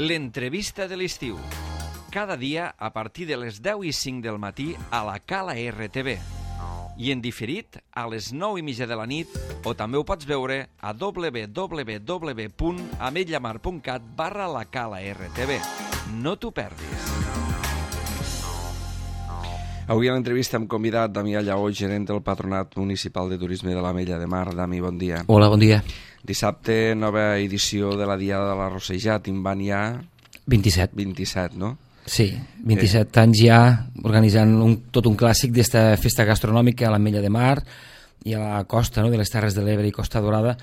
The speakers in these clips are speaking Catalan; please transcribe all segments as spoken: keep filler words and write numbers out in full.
L'entrevista de l'estiu. Cada dia a partir de les deu i cinc del matí a la Cala R T V. I en diferit a les nou i mitja de la nit, o també ho pots veure a w w w punt ametlllamar punt cat barra la Cala R T V. No t'ho perdis. Avui a l'entrevista hem convidat Damià Lleó, gerent del Patronat Municipal de Turisme de l'Ametlla de Mar. Dami, bon dia. Hola, bon dia. Dissabte, nova edició de la Diada de la Rossejat. En van ja... vint-i-set. vint-i-set, no? Sí, vint-i-set eh. anys ja organitzant un, tot un clàssic d'esta festa gastronòmica a l'Ametlla de Mar i a la costa, no?, de les Terres de l'Ebre i Costa Dorada.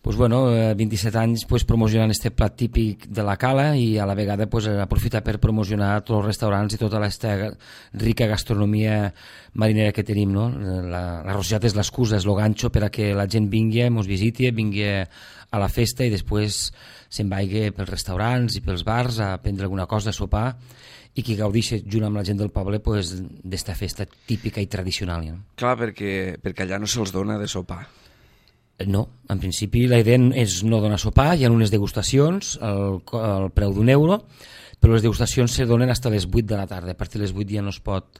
Pues bueno, vint-i-set anys pues, promocionant este plat típic de la cala i a la vegada pues, aprofitar per promocionar tots els restaurants i tota aquesta rica gastronomia marinera que tenim, no? La, la rossejat és l'excusa, és el ganxo per a que la gent vingui, ens visiti, vingui a la festa i després se'n vagi pels restaurants i pels bars a prendre alguna cosa, a sopar, i que gaudixi junt amb la gent del poble pues, d'esta festa típica i tradicional. No? Clar, perquè, perquè allà no se'ls dona de sopar. No, en principi la idea és no donar sopar, hi ha unes degustacions al, al preu d'un euro, però les degustacions se donen fins a les vuit de la tarda. A partir de les vuit ja no es pot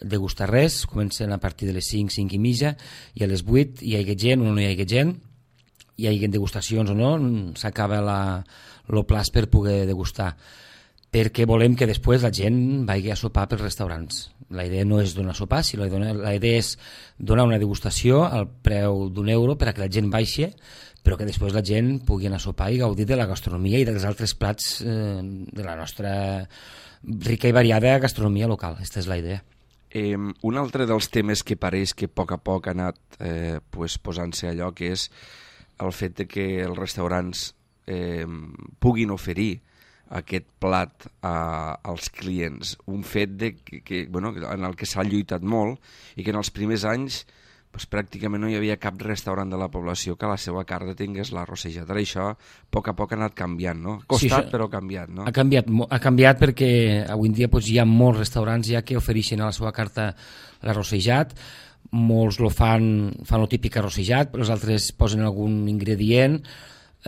degustar res, comencen a partir de les cinc, cinc i mitja, i a les vuit hi ha gent o no hi ha gent, hi ha degustacions o no, s'acaba el plaç per poder degustar, perquè volem que després la gent vagi a sopar pels restaurants. La idea no és donar sopar, sinó la idea és donar una degustació al preu d'un euro per a que la gent baixi, però que després la gent pugui anar a sopar i gaudir de la gastronomia i dels altres plats eh, de la nostra rica i variada gastronomia local. Aquesta és la idea. Eh, un altre dels temes que pareix que a poc a poc ha anat eh, pues, posant-se a lloc és el fet de que els restaurants eh, puguin oferir aquest plat a, als clients, un fet de que, que, bueno, en el que s'ha lluitat molt i que en els primers anys pues, pràcticament no hi havia cap restaurant de la població que a la seva carta tingués la rossejat. Ara això a poc a poc ha anat canviant, no? Ha costat, sí, però ha canviat, no? Ha canviat, ha canviat perquè avui en dia pues, hi ha molts restaurants ja que ofereixen a la seva carta la rossejat. Molts lo fan, fan el típic arrossejat, però els altres posen algun ingredient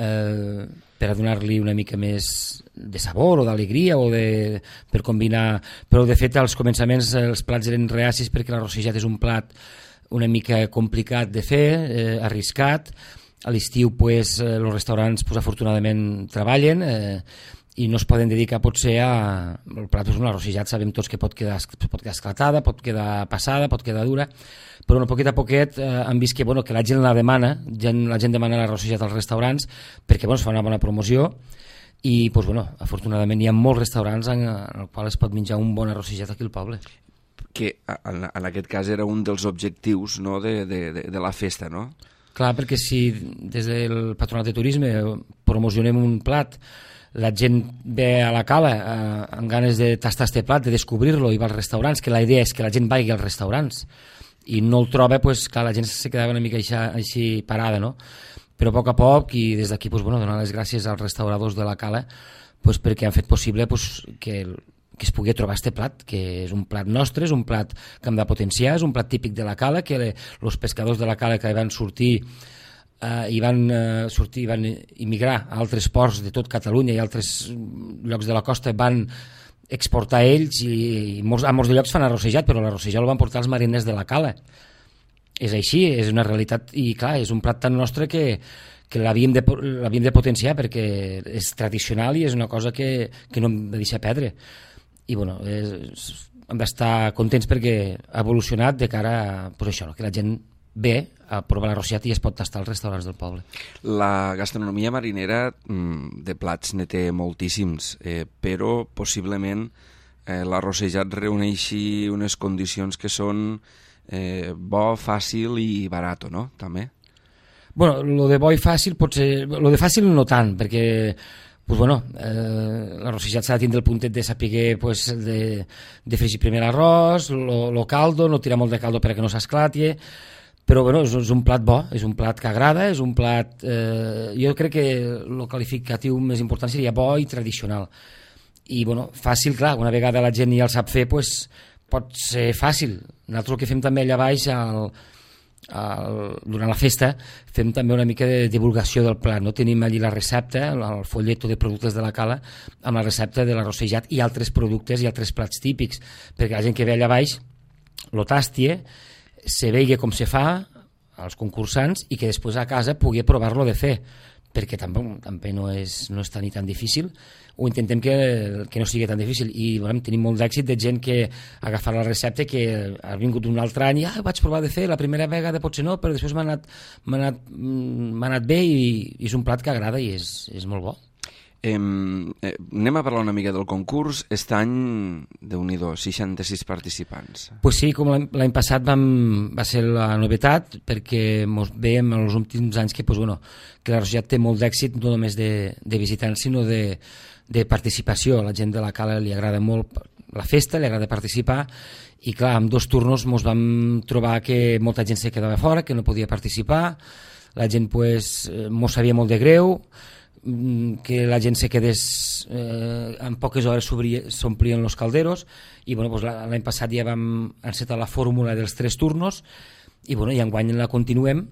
eh, per a donar-li una mica més de sabor o d'alegria o de, per combinar, però de fet als començaments els plats eren reacis perquè la rossejat és un plat una mica complicat de fer, eh, arriscat. A l'estiu pues, eh, els restaurants pues, afortunadament treballen eh, i no es poden dedicar potser a... El plat és una rossejat, sabem tots que pot quedar, pot quedar esclatada, pot quedar passada, pot quedar dura, però no, poquet a poquet eh, han vist que, bueno, que la gent la demana, gent, la gent demana la rossejat als restaurants perquè bueno, es fa una bona promoció i pues, bueno, afortunadament hi ha molts restaurants en, en els quals es pot menjar un bon arrossejat aquí al poble. Que en, en aquest cas era un dels objectius, no, de, de, de, de la festa, no? Clar, perquè si des del Patronat de Turisme promocionem un plat, la gent ve a la cala eh, amb ganes de tastar este plat, de descobrir-lo i va als restaurants, que la idea és que la gent vagi als restaurants i no el troba, pues, clar, la gent se quedava una mica així, així parada, no? Però a poc a poc, i des d'aquí pues, bueno, donar les gràcies als restauradors de la cala pues, perquè han fet possible pues, que, que es pugui trobar este plat, que és un plat nostre, és un plat que hem de potenciar, és un plat típic de la cala, que els pescadors de la cala que van sortir Uh, i van uh, sortir, van immigrar a altres ports de tot Catalunya i altres llocs de la costa van exportar ells i, i molts, a molts de llocs fan arrossejat, però l'arrossejat el van portar els mariners de la cala. És així, és una realitat i clar, és un plat tan nostre que, que l'havíem de, l'havíem de potenciar perquè és tradicional i és una cosa que, que no hem de deixar perdre. I bueno, és, hem d'estar contents perquè ha evolucionat de cara a pues això, no? Que la gent ve a provar la rossejat i es pot tastar als restaurants del poble. La gastronomia marinera de plats ne té moltíssims, eh, però possiblement eh, la rossejat reuneixi unes condicions que són eh, bo, fàcil i barat, no? També. Bueno, lo de bo i fàcil pot ser... Lo de fàcil no tant, perquè pues bueno, eh, la rossejat s'ha de tindre el puntet de saber pues, de, de fregir primer l'arròs, lo, lo caldo, no tirar molt de caldo perquè no s'esclati, però bueno, és, és un plat bo, és un plat que agrada, és un plat... Eh, jo crec que el qualificatiu més important seria bo i tradicional. I bueno, fàcil, clar, una vegada la gent ja el sap fer, pues, pot ser fàcil. Nosaltres el que fem també allà baix, al, el, durant la festa fem també una mica de divulgació del plat, no? Tenim allí la recepta, el folleto de productes de la cala amb la recepta de l'arrossejat i altres productes i altres plats típics, perquè la gent que ve allà baix lo tastie, se vegi com se fa als concursants i que després a casa pugui provar-lo de fer, perquè també, també no, és, no està ni tan difícil, o intentem que, que no sigui tan difícil, i bueno, tenim molt d'èxit de gent que ha agafat la recepta, que ha vingut un altre any i ah, vaig provar de fer, la primera vegada potser no, però després m'ha anat, m'ha anat, m'ha anat bé i, i és un plat que agrada i és, és molt bo. Eh, eh, anem a parlar una mica del concurs. Aquest any, Déu-n'hi-do, seixanta-sis participants. Pues sí, com l'any passat vam, va ser la novetat, perquè mos veiem en els últims anys que, pues, bueno, que l'arrossejat té molt d'èxit, no només de, de visitants, sinó de, de participació. A la gent de la cala li agrada molt la festa, li agrada participar, i clar, amb dos turnos mos vam trobar que molta gent se quedava fora, que no podia participar, la gent pues, mos sabia molt de greu, que la gent se quedés eh, en poques hores s'omplien els calderos, i bueno, pues, l'any passat ja vam encetar la fórmula dels tres turnos i, bueno, i enguany la continuem,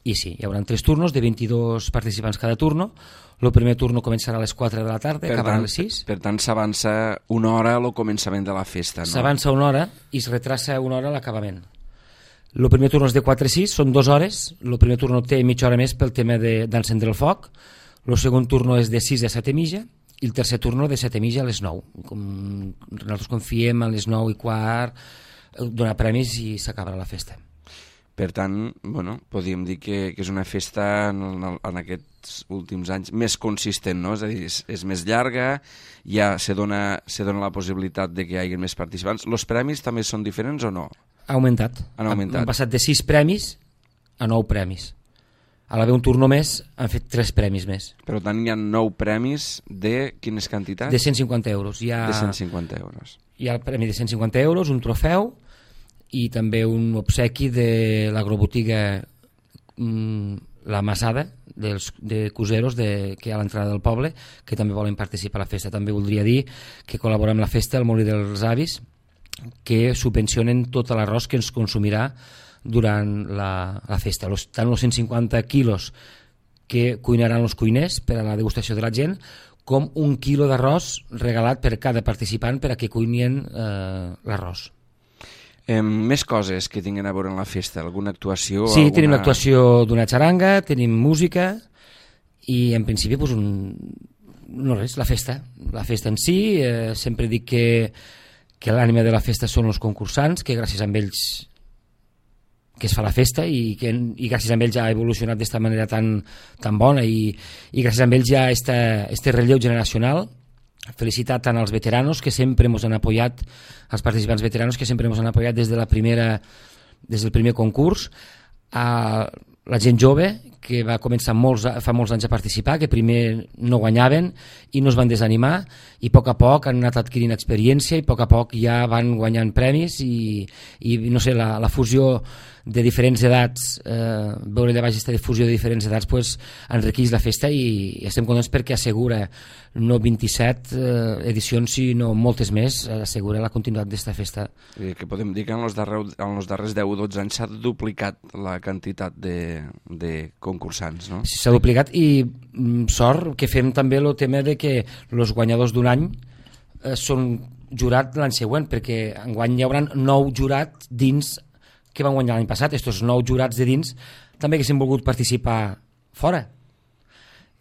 i sí, hi haurà tres turnos de vint-i-dos participants cada turno. El primer turno començarà a les quatre de la tarda, acabarà a les sis. Per tant, s'avança una hora al començament de la festa, no? S'avança una hora i es retrassa una hora l'acabament. El primer turno és de quatre a sis, són dues hores. El primer turno té mitja hora més pel tema d'encendre el foc. El segon turno és de sis a set i mitja i el tercer turno de set i mitja a les nou. Com nosaltres confiem a les nou i quart donar premis i s'acabarà la festa. Per tant, bueno, podríem dir que, que és una festa en, en aquests últims anys més consistent, no? És a dir, és, és més llarga, ja se dona, se dona la possibilitat de que hi hagi més participants. Els premis també són diferents o no? Ha augmentat. Han augmentat. Han passat de sis premis a nou premis. A l'haver un turno més, han fet tres premis més. Per tant, hi ha nou premis de quines quantitats? De cent cinquanta euros. Hi ha, de cent cinquanta euros. Hi ha el premi de cent cinquanta euros, un trofeu i també un obsequi de l'agrobotiga mmm, La Masada, dels, de Cuseros, de, que hi ha a l'entrada del poble, que també volen participar a la festa. També voldria dir que col·laborem amb la festa al Molí dels Avis, que subvencionen tot l'arròs que ens consumirà durant la, la festa. Los, tant els cent cinquanta quilos que cuinaran els cuiners per a la degustació de la gent, com un quilo d'arròs regalat per cada participant per a que cuinin eh, l'arròs. Eh, més coses que tinguin a veure en la festa, alguna actuació? Sí, alguna... tenim l'actuació d'una xaranga, tenim música i en principi pues, un... no res, la festa. La festa en si, eh, sempre dic que, que l'ànima de la festa són els concursants, que gràcies a ells que es fa la festa i, que, i gràcies a ells ja ha evolucionat d'esta manera tan, tan bona i, i gràcies a ells ja este, este relleu generacional. Felicitar tant als veteranos que sempre ens han apoyat, als participants veteranos que sempre ens han apoyat des de la primera, des del primer concurs, a la gent jove que va començar molts, fa molts anys a participar, que primer no guanyaven i no es van desanimar i a poc a poc han anat adquirint experiència i a poc a poc ja van guanyant premis i, i no sé, la, la fusió de diferents edats, eh, veure allà baix aquesta difusió de diferents edats pues, enriqueix la festa i, i estem contents perquè assegura no vint-i-set eh, edicions sinó moltes més, assegura la continuïtat d'esta festa. I que podem dir que en els darrers, en els darrers deu o dotze anys s'ha duplicat la quantitat de, de concursants, no? Sí, s'ha duplicat i mm, sort que fem també el tema de que els guanyadors d'un any eh, són jurat l'any següent, perquè enguany hi haurà nou jurat dins que van guanyar l'any passat. Estos nou jurats de dins també haguessin volgut participar fora.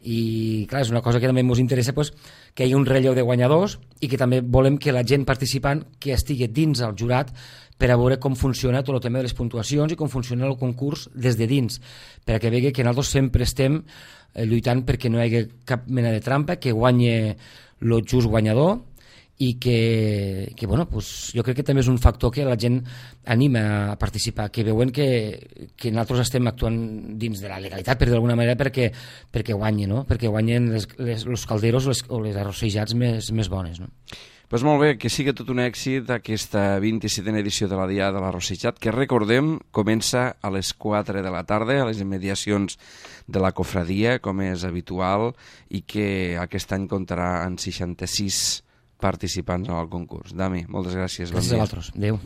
I clar, és una cosa que també ens interessa pues, que hi hagi un relleu de guanyadors i que també volem que la gent participant que estigui dins el jurat per a veure com funciona tot el tema de les puntuacions i com funciona el concurs des de dins, per a que vegi que nosaltres sempre estem eh, lluitant perquè no hi hagi cap mena de trampa, que guanye el just guanyador i que, que bueno, pues, jo crec que també és un factor que la gent anima a participar, que veuen que, que nosaltres estem actuant dins de la legalitat, per d'alguna manera, perquè, perquè guanyen, no? Perquè guanyen les, les, els calderos les, o les arrossejats més, més bones. No? Pues molt bé, que sigui tot un èxit aquesta vint-i-setena edició de la Diada de l'Arrossejat, que recordem comença a les quatre de la tarda a les immediacions de la cofradia, com és habitual, i que aquest any comptarà en seixanta-sis participants en el concurs. Dami, moltes gràcies. Gràcies bon a vosaltres. Adéu.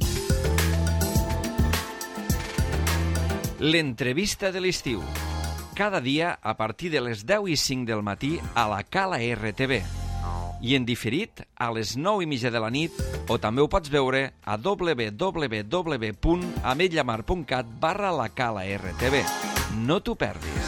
L'entrevista de l'estiu. Cada dia a partir de les deu i cinc del matí a la Cala R T V. I en diferit a les nou i mitja de la nit, o també ho pots veure a w w w punt ametlllamar punt cat barra la Cala R T V. No t'ho perdis.